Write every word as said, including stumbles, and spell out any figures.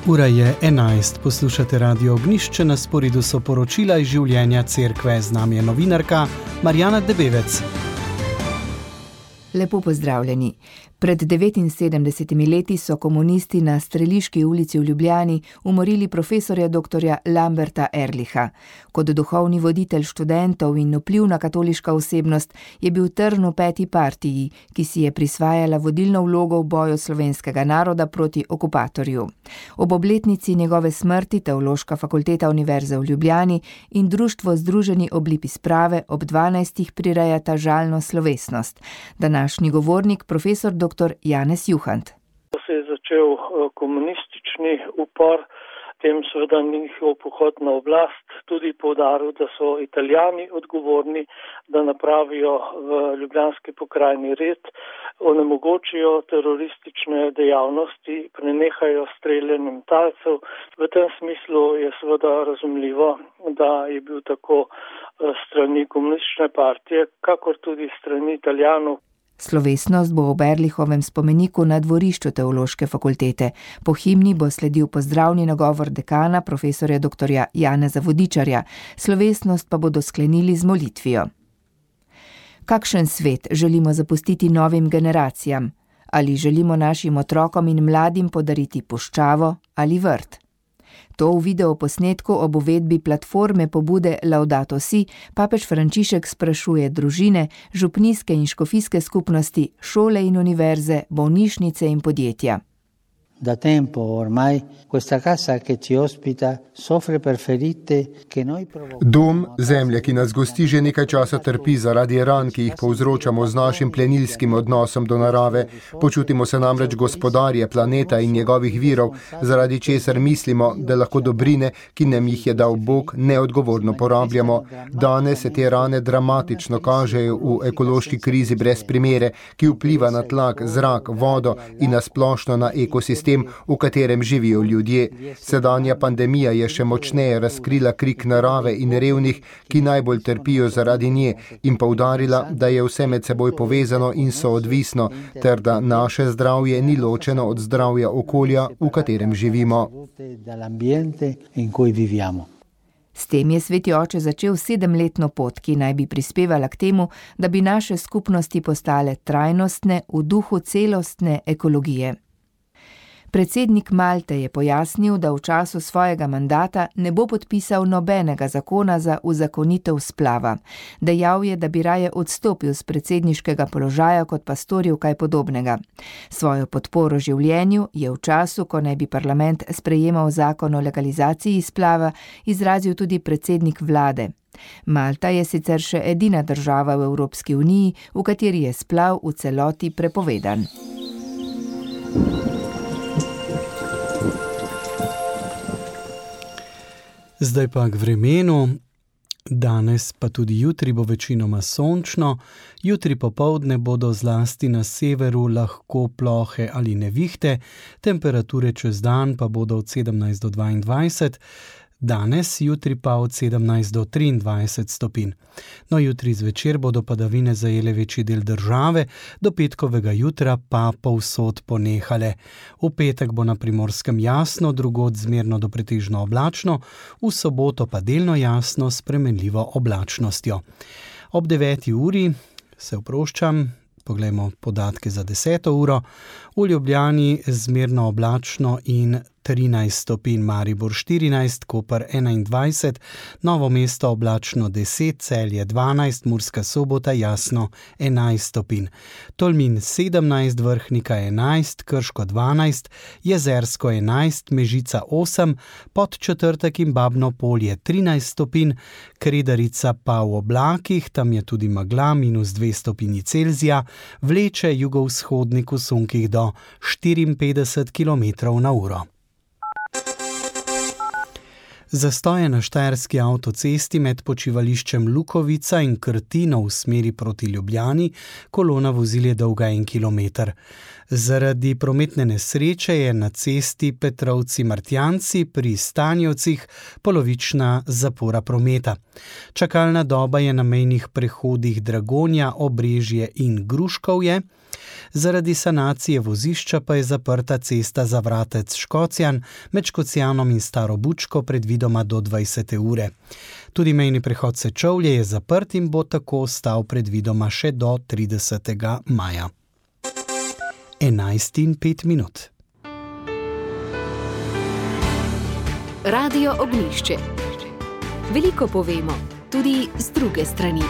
Ura je enajst, poslušate Radio Ognjišče, na sporedu so poročila iz življenja cerkve. Z nami je novinarka Marjana Debevec. Lepo pozdravljeni. Pred devetinsedemdesetimi leti so komunisti na Streliški ulici v Ljubljani umorili profesorja doktorja Lamberta Ehrlicha. Kot duhovni voditelj študentov in vplivna katoliška osebnost je bil trn v peti partiji, ki si je prisvajala vodilno vlogo v boju slovenskega naroda proti okupatorju. Ob obletnici njegove smrti Teološka fakulteta Univerze v Ljubljani in Društvo Združeni oblipi sprave ob dvanajstih prirejata žalno slovesnost. Današnji govornik, profesor doktor Janez Juhant. Ko se je začel komunistični upor, tem seveda njihov pohod na oblast tudi poudaril, da so Italijani odgovorni, da napravijo v ljubljanski pokrajini red, onemogočijo teroristične dejavnosti, prenehajo streljanjem talcev. V tem smislu je seveda razumljivo, da je bil tako strani komunistične partije, kakor tudi strani Italijanov. Slovesnost bo ob Ehrlichovem spomeniku na dvorišču Teološke fakultete. Po himni bo sledil pozdravni nagovor dekana, profesorja doktorja Janeza Vodičarja. Slovesnost pa bodo sklenili z molitvijo. Kakšen svet želimo zapustiti novim generacijam? Ali želimo našim otrokom in mladim podariti puščavo ali vrt? To v videoposnetku ob uvedbi platforme pobude Laudato Si papež Frančišek sprašuje družine, župnijske in škofijske skupnosti, šole in univerze, bolnišnice in podjetja. Da tempo ormai questa casa che ci ospita soffre per ferite che noi provochiamo. Dom, zemlja, ki nas gosti, že nekaj časa trpi zaradi ran, ki jih povzročamo z našim plenilskim odnosom do narave. Počutimo se namreč gospodarje planeta in njegovih virov, zaradi česar mislimo, da lahko dobrine, ki nam jih je dal Bog, neodgovorno porabljamo. Danes se te rane dramatično kažejo v ekološki krizi brez primere, ki vpliva na tlak, zrak, vodo in na splošno na ekosistem, v katerem živijo ljudje. Sedanja pandemija je še močneje razkrila krik narave in revnih, ki najbolj trpijo zaradi nje, in poudarila, da je vse med seboj povezano in soodvisno, ter da naše zdravje ni ločeno od zdravja okolja, v katerem živimo. S tem je Sveti oče začel sedemletno pot, ki naj bi prispevala k temu, da bi naše skupnosti postale trajnostne v duhu celostne ekologije. Predsednik Malte je pojasnil, da v času svojega mandata ne bo podpisal nobenega zakona za uzakonitev splava. Dejal je, da bi raje odstopil z predsedniškega položaja, kot pa storil kaj podobnega. Svojo podporo življenju je v času, ko naj bi parlament sprejemal zakon o legalizaciji splava, izrazil tudi predsednik vlade. Malta je sicer še edina država v Evropski uniji, v kateri je splav v celoti prepovedan. Zdaj pa k vremenu. Danes pa tudi jutri bo večinoma sončno. Jutri popoldne bodo zlasti na severu lahko plohe ali nevihte, temperature čez dan pa bodo od sedemnajst do dvaindvajset, danes, jutri pa od sedemnajst do triindvajset stopinj. No, jutri zvečer bodo padavine zajele večji del države, do petkovega jutra pa povsod ponehale. V petek bo na Primorskem jasno, drugod zmerno do pretežno oblačno, v soboto pa delno jasno s spremenljivo oblačnostjo. Ob deveti uri se oproščam, poglejmo podatke za deseto uro. V Ljubljani zmerno oblačno in trinajst stopinj, Maribor štirinajst, Koper enaindvajset, Novo mesto oblačno deset, Celje dvanajst, Murska Sobota jasno enajst stopinj. Tolmin sedemnajst, Vrhnika enajst, Krško dvanajst, Jezersko enajst, Mežica osem, Podčetrtek in Babno Polje trinajst stopinj, Kredarica pa v oblakih, tam je tudi megla, minus dve stopinji Celzija, vleče jugovzhodnik v sunkih do štiriinpetdeset kilometrov na uro. Zastoje na štajerski avtocesti med počivališčem Lukovica in Krtino v smeri proti Ljubljani, kolona vozil je dolga en kilometer. Zaradi prometne nesreče je na cesti Petrovci-Martjanci pri Stanjevcih polovična zapora prometa. Čakalna doba je na mejnih prehodih Dragonja, Obrežje in Gruškovje. Zaradi sanacije vozišča pa je zaprta cesta Zavratec-Škocjan med Škocjanom in Staro Bučko predvidoma do dvajsete ure. Tudi mejni prehod Sečovlje je zaprt in bo tako ostal predvidoma še do tridesetega maja. enajst in pet minut. Radio Ognjišče. Veliko povemo, tudi z druge strani.